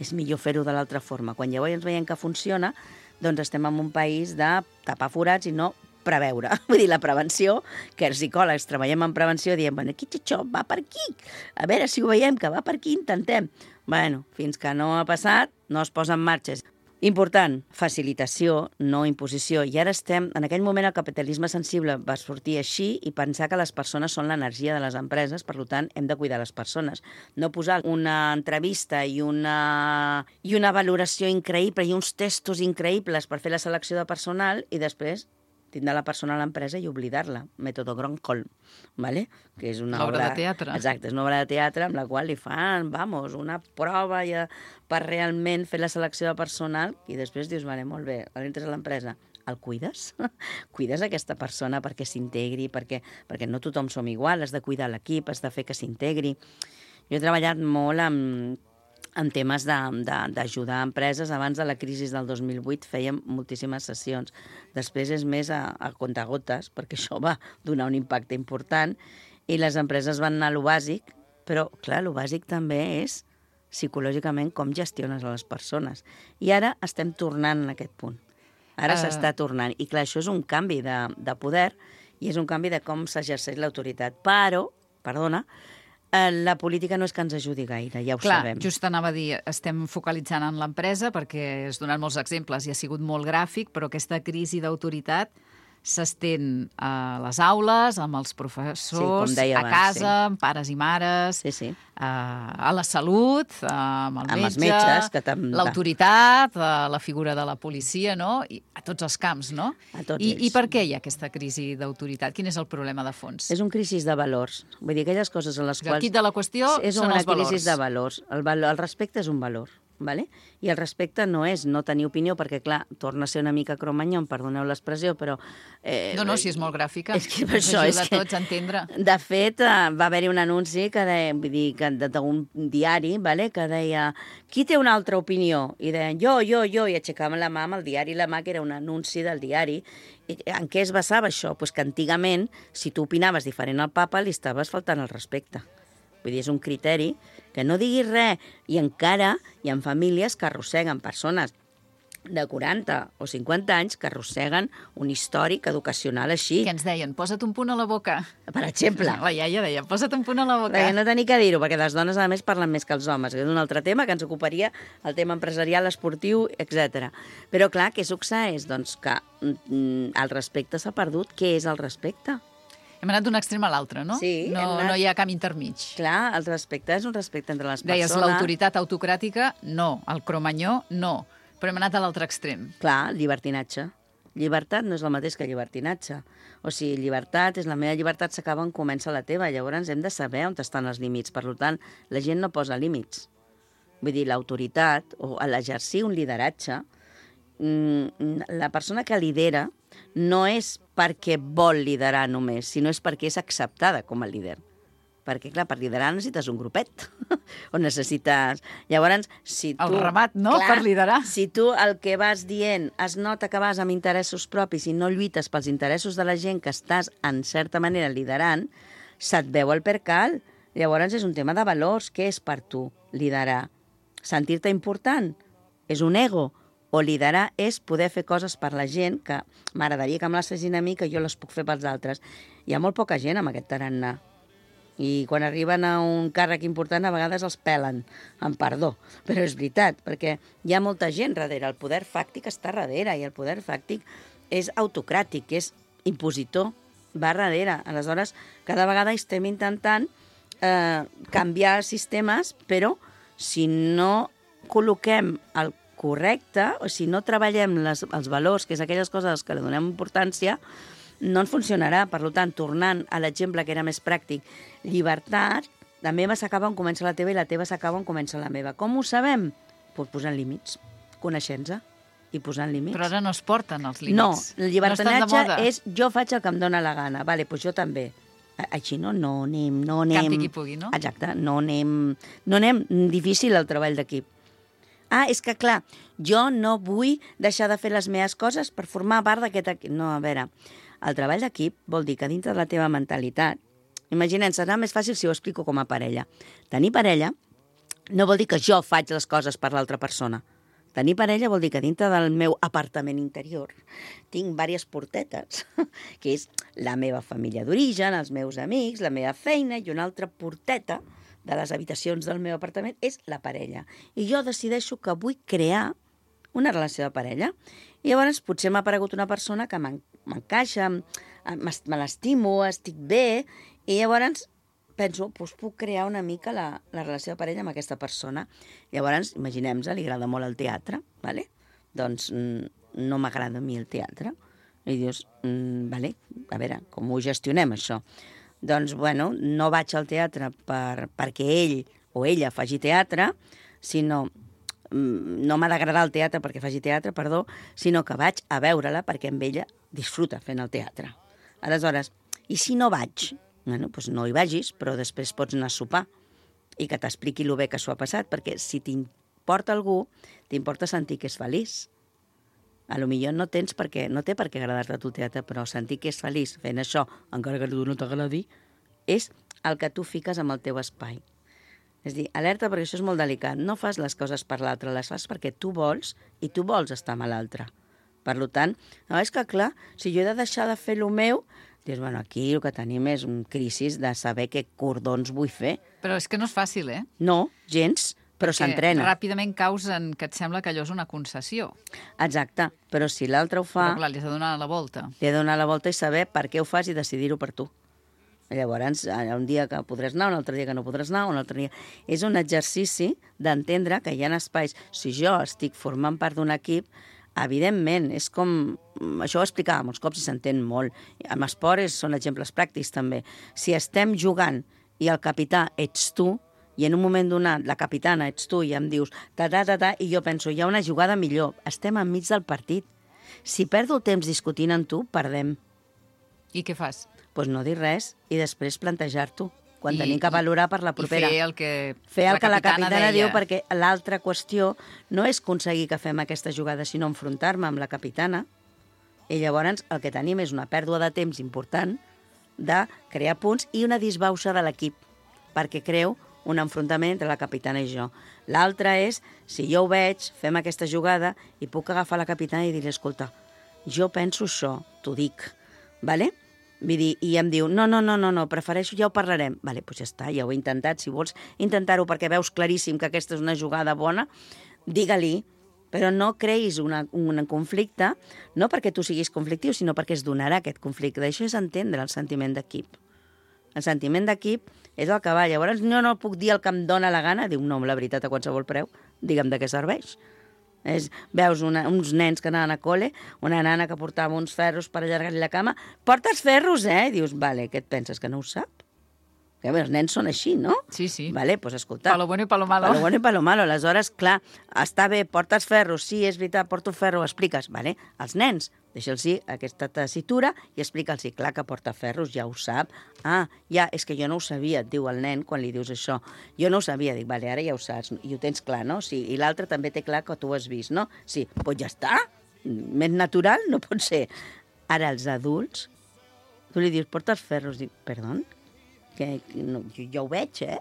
és millor fer-ho de l'altra forma. Quan llavors veiem que funciona, doncs estem en un país de tapar forats i no preveure. Vull dir, la prevenció, que els psicòlegs treballem en prevenció, diem, bueno, aquí això va per aquí. A veure si ho veiem, que va per aquí, intentem. Bueno, fins que no ha passat, no es posa en marxa. Important, facilitació, no imposició. I ara estem, en aquell moment el capitalisme sensible va sortir així i pensar que les persones són l'energia de les empreses, per tant, hem de cuidar les persones. No posar una entrevista i una, i una valoració increïble i uns testos increïbles per fer la selecció de personal i després tindre la persona a l'empresa i oblidar-la. Mètode Gronholm, ¿vale? Que és una obra obra de teatre. Exacte, és una obra de teatre amb la qual li fan, vamos, una prova ja per realment fer la selecció de personal i després dius, vale, molt bé, entres a l'empresa, el cuides? Cuides aquesta persona perquè s'integri, perquè, perquè no tothom som igual, has de cuidar l'equip, has de fer que s'integri. Jo he treballat molt amb en temes d'ajudar empreses. Abans de la crisi del dos mil vuit fèiem moltíssimes sessions. Després és més a, a comptagotes, perquè això va donar un impacte important, i les empreses van anar a lo bàsic, però, clar, lo bàsic també és psicològicament com gestiones a les persones. I ara estem tornant en aquest punt. Ara uh... s'està tornant. I, clar, això és un canvi de, de poder i és un canvi de com s'exerceix l'autoritat. Però, perdona, la política no és que ens ajudi gaire, ja ho Clar, sabem. Just anava a dir, estem focalitzant en l'empresa perquè has donat molts exemples i ha sigut molt gràfic, però aquesta crisi d'autoritat s'estén a les aules, amb els professors, sí, a abans, casa, sí. amb pares i mares, sí, sí. A, a la salut, amb el amb metge, els metges, que tam... l'autoritat, a la figura de la policia, no? I a tots els camps, no? A tots I, ells. I per què hi ha aquesta crisi d'autoritat? Quin és el problema de fons? És un crisi de valors. Vull dir, aquelles coses en les el quals... quid de la qüestió és són una els valors. crisi de valors. El, valor. el respecte és un valor. Vale? I el respecte no és no tenir opinió, perquè, clar, torna a ser una mica cromanyon, perdoneu l'expressió, però... Eh, no, no, si és molt gràfica. És que per això, és que... tots a entendre. De fet, va haver-hi un anunci que deia, vull dir, que d'un diari, vale? Que deia, qui té una altra opinió? I deien, jo, jo, jo, i aixecaven la mà amb el diari, la mà, que era un anunci del diari. I en què es basava això? Pues que antigament, si tu opinaves diferent al papa, li estaves faltant el respecte. Vull dir, és un criteri que no diguis res. I encara hi ha famílies que arrosseguen persones de quaranta o cinquanta anys que arrosseguen un històric educacional així. Què ens deien? Posa't un punt a la boca. Per exemple. La iaia deia, posa't un punt a la boca. Perquè no tenir que dir-ho, perquè les dones, a més, parlen més que els homes. És un altre tema que ens ocuparia, el tema empresarial, esportiu, etcètera. Però, clar, què succeeix? Doncs que mm, el respecte s'ha perdut. Què és el respecte? Hem anat d'un extrem a l'altre, no? Sí. No, anat... no hi ha camí intermig. Clar, el respecte és un respecte entre les Deies, persones. l'autoritat autocràtica, no. El cromanyó, no. Però hem anat a l'altre extrem. Clar, llibertinatge. Llibertat no és el mateix que llibertinatge. O sigui, llibertat és la meva llibertat, s'acaba on comença la teva. Llavors hem de saber on estan els límits. Per tant, la gent no posa límits. Vull dir, l'autoritat, o l'exercir un lideratge, la persona que lidera no és perquè vol liderar només, sinó és perquè és acceptada com a líder. Perquè, clar, per liderar necessites un grupet. O necessites... Llavors, si tu... El ramat, no?, clar, per liderar. Si tu el que vas dient es nota que vas amb interessos propis i no lluites pels interessos de la gent que estàs, en certa manera, liderant, se't veu el percal. Llavors, és un tema de valors. Què és per tu liderar? Sentir-te important? És un ego? O liderar és poder fer coses per la gent que m'agradaria que me les fessin a mi, que jo les puc fer pels altres. Hi ha molt poca gent amb aquest tarannà. I quan arriben a un càrrec important a vegades els pelen, amb perdó. Però és veritat, perquè hi ha molta gent darrere. El poder fàctic està darrere i el poder fàctic és autocràtic, és impositor, va darrere. Aleshores, cada vegada estem intentant eh, canviar sistemes, però si no col·loquem el correcte, o si no treballem les, els valors, que és aquelles coses que li donem importància, no ens funcionarà. Per tant, tornant a l'exemple que era més pràctic, llibertat, la meva s'acaba on comença la teva i la teva s'acaba on comença la meva. Com ho sabem? Pues posant límits, coneixent-se i posant límits. Però ara no es porten els límits. No, el llibertinatge no és jo faig el que em dóna la gana. Vale, pues jo també. Així no, no anem, no anem... Campi qui pugui, no? Exacte, no anem, no anem difícil el treball d'equip. Ah, és que, clar, jo no vull deixar de fer les meves coses per formar part d'aquest equip. No, a veure, el treball d'equip vol dir que dintre de la teva mentalitat, imaginem, serà més fàcil si ho explico com a parella. Tenir parella no vol dir que jo faig les coses per l'altra persona. Tenir parella vol dir que dintre del meu apartament interior tinc diverses portetes, que és la meva família d'origen, els meus amics, la meva feina, i una altra porteta de les habitacions del meu apartament és la parella. I jo decideixo que vull crear una relació de parella. I llavors potser m'ha aparegut una persona que m'encaixa, me l'estimo, estic bé, i llavors penso, doncs puc crear una mica la, la relació de parella amb aquesta persona. Llavors, imaginem-nos, li agrada molt el teatre, ¿vale? Doncs no m'agrada a mi el teatre. I dius, mm, vale, a veure, com ho gestionem, això? Doncs, bueno, no vaig al teatre per, perquè ell o ella faci teatre, sinó no m'ha d'agradar el teatre perquè faci teatre, perdó, sinó que vaig a veure-la perquè amb ella disfruta fent el teatre. Aleshores, i si no vaig? Bueno, doncs no hi vagis, però després pots anar a sopar i que t'expliqui el bé que s'ho ha passat, perquè si t'importa algú, t'importa sentir que és feliç. A lo millor no tens perquè, no té per què agradar-te el teatre, però sentir que és feliç fent això, encara que tu no t'agradi, és el que tu fiques amb el teu espai. És dir, alerta, perquè això és molt delicat. No fas les coses per l'altre, les fas perquè tu vols i tu vols estar amb l'altre. Per tant, no, és que clar, si jo he de deixar de fer el meu, dius, bueno, aquí el que tenim és un crisi de saber què cordons vull fer. Però és que no és fàcil, eh? No, gens, però s'entrena. Ràpidament caus en que et sembla que allò és una concessió. Exacte, però si l'altre ho fa... Però clar, li has de donar la volta. Li has de donar la volta i saber per què ho fas i decidir-ho per tu. Llavors, un dia que podràs anar, un altre dia que no podràs anar, un altre dia... És un exercici d'entendre que hi ha espais. Si jo estic formant part d'un equip, evidentment, és com... Això ho explicava molts cops i s'entén molt. Amb esport són exemples pràctics, també. Si estem jugant i el capità ets tu, i en un moment donat la capitana ets tu i em dius ta ta ta ta i jo penso, hi ha una jugada millor, estem enmig del partit. Si perdo el temps discutint amb tu, perdem. I què fas? Doncs pues no dir res i després plantejar-t'ho. Quan I, tenim que valorar per la propera. I fer el que fer el la que la capitana, capitana deia. diu, perquè l'altra qüestió no és aconseguir que fem aquesta jugada, sinó enfrontar-me amb la capitana, i llavors el que tenim és una pèrdua de temps important de crear punts i una disbauxa de l'equip, perquè creu un enfrontament entre la capitana i jo. L'altra és, si jo ho veig, fem aquesta jugada i puc agafar la capitana i dir, escolta, jo penso això, t'ho dic, vale? Vull dir, i em diu, no, no, no, no, no, prefereixo, ja ho parlarem. Vale, doncs ja està, ja ho he intentat. Si vols intentar-ho perquè veus claríssim que aquesta és una jugada bona, digue-li, però no creïs una, un conflicte, no perquè tu siguis conflictiu, sinó perquè es donarà aquest conflicte. Això és entendre el sentiment d'equip. El sentiment d'equip és el que va. Llavors, no, no puc dir el que em dóna la gana. Diu, no, la veritat, a qualsevol preu, digue'm de què serveix. És, veus una, uns nens que anaven a col·le, una nana que portava uns ferros per allargar-li la cama, portes ferros, eh? I dius, vale, què et penses, que no ho sap? Que bé, els nens són així, no? Sí, sí. Vale, doncs escolta. Palo bueno i palo malo. Palo bueno i palo malo. Aleshores, clar, està bé, portes ferros, sí, és veritat, porto ferro, expliques, vale? Els nens, deixa'ls aquesta tessitura i explica'ls, clar que porta ferros, ja ho sap. Ah, ja, és que jo no ho sabia, et diu el nen quan li dius això. Jo no ho sabia, dic, vale, ara ja ho saps, i ho tens clar, no? Sí, i l'altre també té clar que tu ho has vist, no? Sí, doncs ja està, més natural no pot ser. Ara, els adults, tu li dius, portes ferros, dic, perdó? Que no, jo ja ho veig, eh?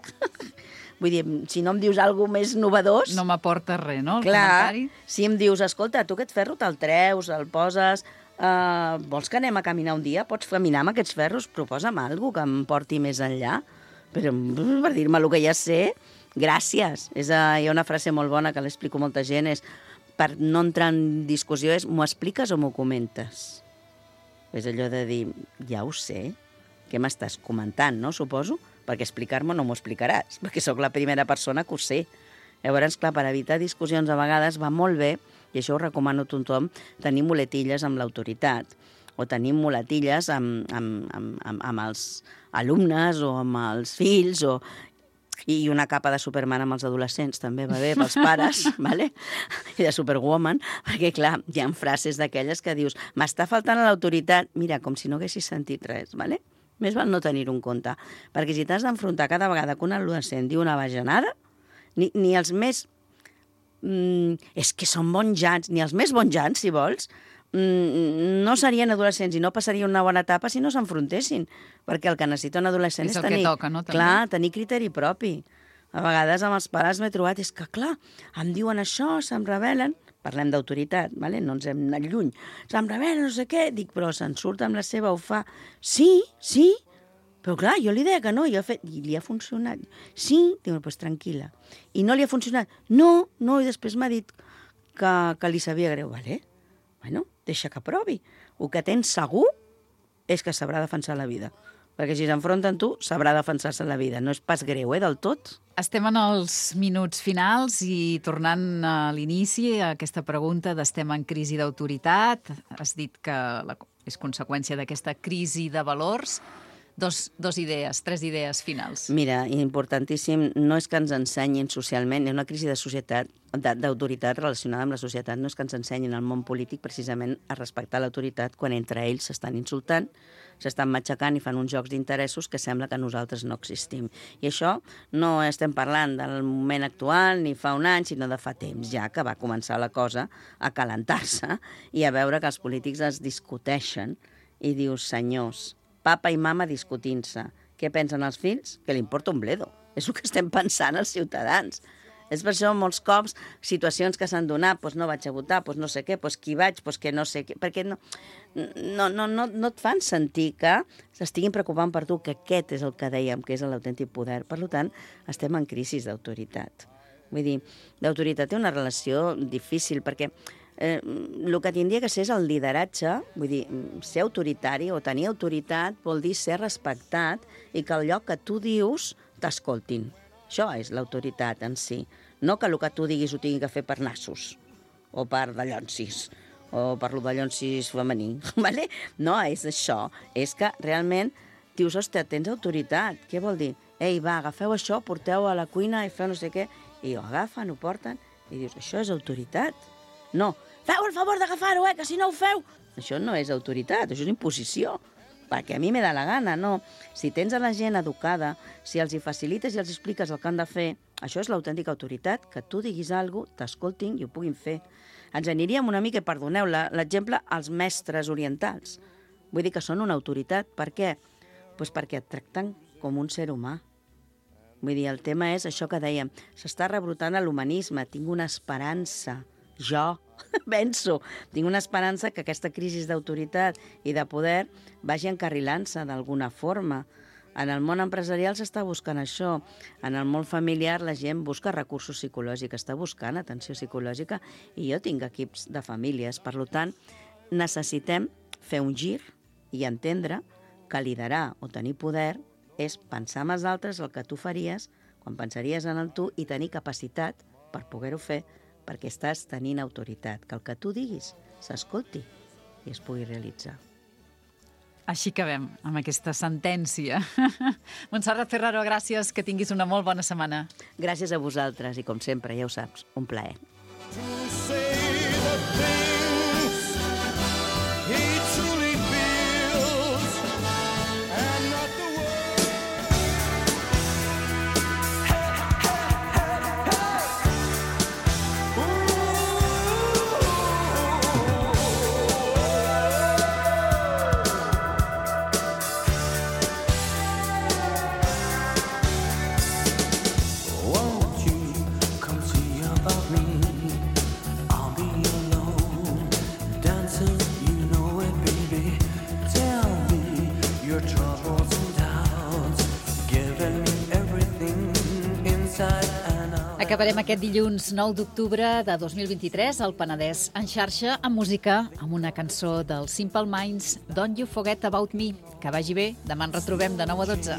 Vull dir, si no em dius alguna més novedós... No m'aporta res, no, el clar, comentari? Si em dius, escolta, tu aquest ferro te'l treus, el poses... Uh, vols que anem a caminar un dia? Pots caminar amb aquests ferros? Proposa'm alguna que em porti més enllà. Però per dir-me el que ja sé, gràcies. És, uh, hi ha una frase molt bona que l'explico a molta gent, és per no entrar en discussió, és m'ho expliques o m'ho comentes? És allò de dir, ja ho sé, què m'estàs comentant, no? Suposo, perquè explicar-me no m'ho explicaràs, perquè sóc la primera persona que ho sé. Llavors, clar, per evitar discussions a vegades va molt bé, i això ho recomano a tothom, tenir muletilles amb l'autoritat, o tenir muletilles amb, amb, amb, amb, amb els alumnes o amb els fills, o... i una capa de Superman amb els adolescents també va bé pels pares, vale? I de Superwoman, perquè clar, hi ha frases d'aquelles que dius m'està faltant l'autoritat, mira, com si no haguessis sentit res, vale? Més val no tenir-ho en compte, perquè si t'has d'enfrontar cada vegada que un adolescent diu una bajanada, ni, ni els més... Mm, és que són bonjants, ni els més bonjants, si vols, mm, no serien adolescents i no passarien una bona etapa si no s'enfrontessin, perquè el que necessita un adolescent és, és tenir, toca, no, clar, tenir criteri propi. A vegades amb els pares m'he trobat, és que clar, em diuen això, se'm rebel·len, parlem d'autoritat, vale? No ens hem anat lluny, se'm rebel·len, no sé què, dic, però se'n surt amb la seva, ho fa, sí, sí, però clar, jo li deia que no, i, fet, i li ha funcionat. Sí, dic, doncs tranquil·la. I no li ha funcionat. No, no, i després m'ha dit que, que li sabia greu. Vale, bueno, deixa que provi. El que tens segur és que sabrà defensar la vida. Perquè si s'enfronta amb tu, sabrà defensar-se la vida. No és pas greu, eh, del tot. Estem en els minuts finals i tornant a l'inici, a aquesta pregunta d'estem en crisi d'autoritat, has dit que la, és conseqüència d'aquesta crisi de valors. Dos, dos idees, tres idees finals. Mira, importantíssim, no és que ens ensenyin socialment, hi ha una crisi de societat, d'autoritat relacionada amb la societat, no és que ens ensenyin al món polític precisament a respectar l'autoritat quan entre ells s'estan insultant, s'estan matxacant i fan uns jocs d'interessos que sembla que nosaltres no existim. I això no estem parlant del moment actual ni fa un any, sinó de fa temps, ja que va començar la cosa a calentar-se i a veure que els polítics es discuteixen i dius, senyors, papa i mama discutint-se. Què pensen els fills? Que li importa un bledo. És el que estem pensant els ciutadans. És per això molts cops situacions que s'han donat, doncs no vaig a votar, doncs no sé què, doncs qui vaig, doncs que no sé què, perquè no, no, no, no, no et fan sentir que s'estiguin preocupant per tu, que aquest és el que dèiem, que és l'autèntic poder. Per tant, estem en crisi d'autoritat. Vull dir, l'autoritat té una relació difícil, perquè Eh, el que tindria que ser és el lideratge, vull dir, ser autoritari o tenir autoritat vol dir ser respectat i que el lloc que tu dius t'escoltin. Això és l'autoritat en si. No que el que tu diguis ho tingui que fer per nassos o per dallonsis o per lo dallonsis femení. Vale? No és això. És que realment dius, hòstia, tens autoritat. Què vol dir? ei, va, agafeu això, porteu a la cuina i feu no sé què, i ho agafen, ho porten, i dius, això és autoritat. No, feu el favor d'agafar-ho, eh, que si no ho feu... Això no és autoritat, això és imposició, perquè a mi me da la gana, no. Si tens a la gent educada, si els hi facilites i els expliques el que han de fer, això és l'autèntica autoritat, que tu diguis alguna cosa, t'escoltin i ho puguin fer. Ens aniríem una mica, perdoneu, l'exemple, als mestres orientals. Vull dir que són una autoritat. Per què? Pues perquè et tracten com un ser humà. Vull dir, el tema és això que dèiem, s'està rebrotant a l'humanisme, tinc una esperança, jo penso, tinc una esperança que aquesta crisi d'autoritat i de poder vagi encarrilant-se d'alguna forma. En el món empresarial s'està buscant això, en el món familiar la gent busca recursos psicològics, està buscant atenció psicològica i jo tinc equips de famílies, per tant, necessitem fer un gir i entendre que liderar o tenir poder és pensar en els altres el que tu faries quan pensaries en el tu i tenir capacitat per poder-ho fer perquè estàs tenint autoritat, que el que tu diguis s'escolti i es pugui realitzar. Així acabem amb aquesta sentència. Montserrat Ferraro, gràcies, que tinguis una molt bona setmana. Gràcies a vosaltres i, com sempre, ja ho saps, un plaer. Acabarem aquest dilluns nou d'octubre de dos mil vint-i-tres al Penedès en xarxa amb música, amb una cançó dels Simple Minds, Don't You Forget About Me. Que vagi bé, demà ens retrobem de nou a dotze.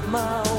My